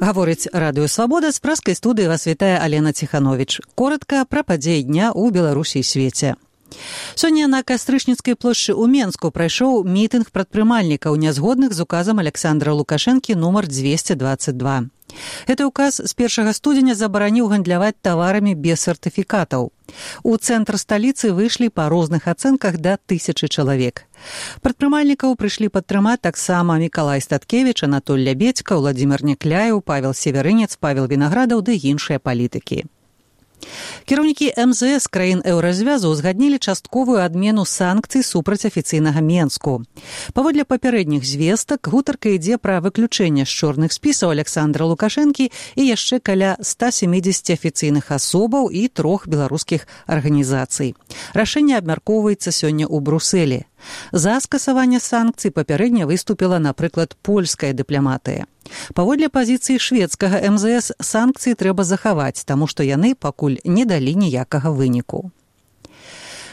Гаворыць Радыё Свабода, з праскай студыі вас вітае Алена Ціхановіч. Коротка пра падзеі дня ў Беларусі і свеце. Сёння на Кастрычніцкай плошчы ў Менску прайшоў мітынг прадпрымальнікаў, нязгодных з указам Александра Лукашэнкі нумар 222. Гэты ўказ з 1 студзеня забараніў гандляваць таварамі без сертыфікатаў. У цэнтр сталіцы выйшлі па розных ацэнках да 1000 чалавек. Прадпрымальнікаў прыйшлі падтрымаць таксама Мікалай Статкевіч, Анатоль Лябедзька, Владзімир Някляеў, Павел Северынец, Павел Вінаградаў ды іншыя палітыкі. Кіраўнікі МЗС краін еўразвязу ўзгаднілі частковую адмену санкцый супраць афіцыйнага Менску. Паводле папярэдніх звестак, гутарка ідзе пра выключэнне з чорных спісаў Александра Лукашэнкі і яшчэ каля 170 афіцыйных асобаў і 3 беларускіх арганізацый. Рашэнне абмяркоўваецца сёння ў Брусэлі. За скасаванне санкцый папярэдне выступіла, напрыклад, польская дыпламатыя. Паводле пазіцыі шведскага МЗС санкцыі трэба захаваць, таму што яны пакуль не далі ніякага выніку.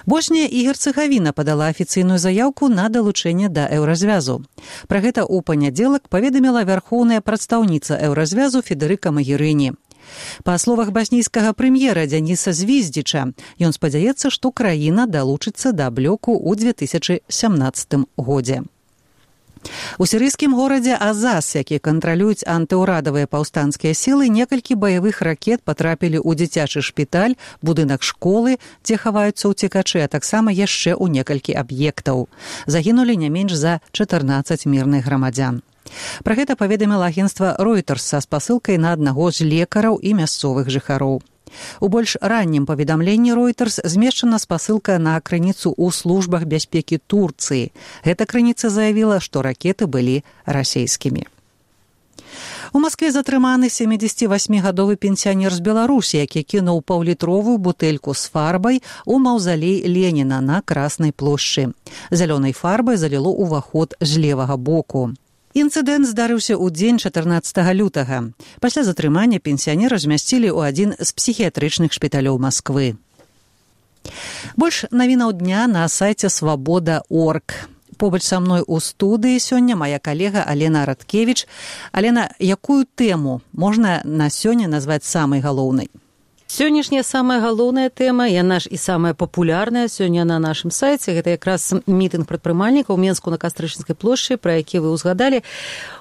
Боснія і Герцэгавіна падала афіцыйную заяўку на далучэнне да еўразвязу. Пра гэта ў панядзелак паведаміла вярхоўная прадстаўніца еўразвязу Федэрыка Магерыні. Па словах баснійскага прэм'ера Дзяніса Звіздзіча, ён спадзяецца, што краіна далучыцца да блоку ў 2017 годзе. У сірыйскім горадзе Азаз, які кантралююць антыўрадавыя паўстанцкія сілы, некалькі баявых ракет патрапілі ў дзіцячы шпіталь, будынак школы, дзе хаваюцца ўцекачы, а таксама яшчэ ў некалькі аб'ектаў. Загінулі не менш за 14 мірных грамадзян. Пра гэта паведаміла агенцтва Reuters са спасылкай на аднаго з лекараў і мясцовых жыхароў. У больш раннім паведамленні Reuters змешчана спасылка на крыніцу ў службах бяспекі Турцыі. Гэта крыніца заявіла, што ракеты былі расейскімі. У Маскве затрыманы 78-гадовы пенсіянер з Беларусі, які кінуў паўлітровую бутэльку з фарбай у маўзалей Леніна на Краснай плошчы. Зялёнай фарбай заліло ўваход з левага боку. Інцыдэнт здарыўся ў дзень 14 лютага. Пасля затрымання пенсіянера размясцілі ў адзін з псіхіятрычных шпіталёў Масквы. Больш навінаў дня на сайце свабода.орг. Побач са мной у студыі сёння мая калега Алена Радкевіч. Алена, якую тэму можна на сёння назваць самай галоўнай? Сённяшняя самая галоўная тэма, яна ж і самая папулярная сёння на нашым сайце, гэта якраз мітынг прадпрымальнікаў у Менску на Кастрычніцкай плошчы, пра які вы ўзгадалі.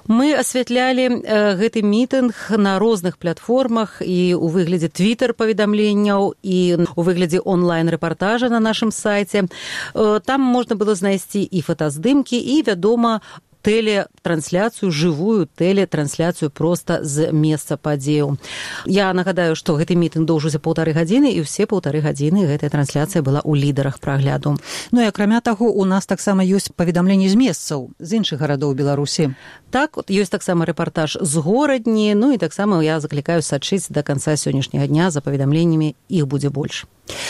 Мы асвятлялі гэты мітынг на розных платформах і ў выглядзе твітэр-паведамленняў, і ў выглядзе онлайн-рэпартажа на нашым сайце. Там можна было знайсці і фотаздымкі, і, вядома, тэлетрансляцыю, жывую тэлетрансляцыю проста з месца падзеяў. Я нагадаю, што гэты мітынг доўжыўся 1,5 гадзіны, і ўсе 1,5 гадзіны гэтая трансляцыя была ў лідарах прагляду. Ну і акрамя таго, у нас таксама ёсць паведамленні з месцаў, з іншых гарадоў Беларусі. Так, ёсць таксама рэпартаж з горадні, ну і таксама я заклікаю сачыць да канца сённяшняга дня за паведамленнямі, іх будзе больш.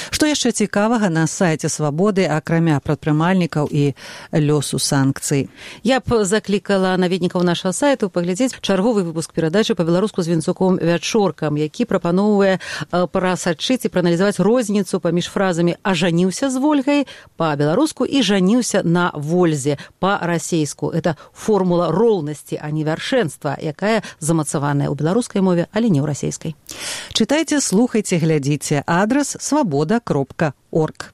Што яшчэ цікавага на сайце Свабоды, акрамя прадпрымальнікаў і лёсу санкцый? Я б заклікала наведнікаў нашага сайту паглядзець чарговы выпуск перадачы па-беларуску з Вінцуком Вячоркам, які прапановвае прасачыць і прааналізаваць розніцу паміж фразамі «ажаніўся з Вольгай» па-беларуску і «жаніўся на Вользе» па-расейску. Это формула роўнасці, а не вяршэнства, якая замацаваная ў беларускай мове, але не ў расейскай. Чытайце, слухайце, глядзіце. Адрас свабода.орг.